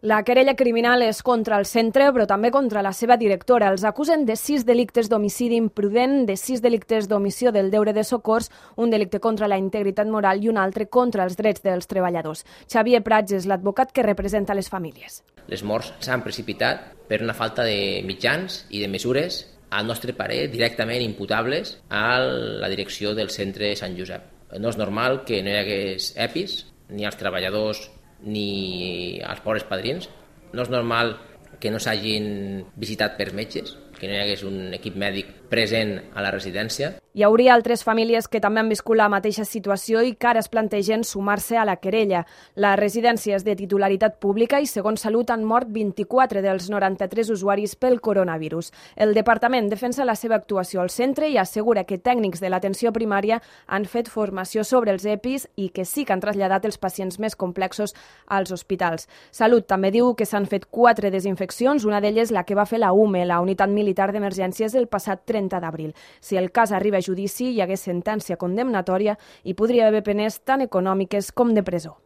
La querella criminal és contra el centre, però també contra la seva directora. Els acusen de 6 delictes d'homicidi imprudent, de 6 delictes d'omissió del deure de socors, un delicte contra la integritat moral i un altre contra els drets dels treballadors. Xavier Prats és l'advocat que representa les famílies. Les morts s'han precipitat per una falta de mitjans i de mesures, al nostre parer, directament imputables a la direcció del centre Sant Josep. No és normal que no hi hagués EPIs, ni als treballadors ni als pobres padrins. No és normal que no s'hagin visitat per metges, que no hi hagués un equip mèdic present a la residència. Hi hauria altres famílies que també han viscut la mateixa situació i que ara es plantegen sumar-se a la querella. La residència és de titularitat pública i, segons Salut, han mort 24 dels 93 usuaris pel coronavirus. El departament defensa la seva actuació al centre i assegura que tècnics de l'atenció primària han fet formació sobre els EPIs i que sí que han traslladat els pacients més complexos als hospitals. Salut també diu que s'han fet 4 desinfeccions, una d'elles la que va fer la UME, la Unitat Militar d'Emergències, el passat 30 d'abril. Si el cas arriba a judici, hi hagués sentència condemnatòria i podria haver penes tant econòmiques com de presó.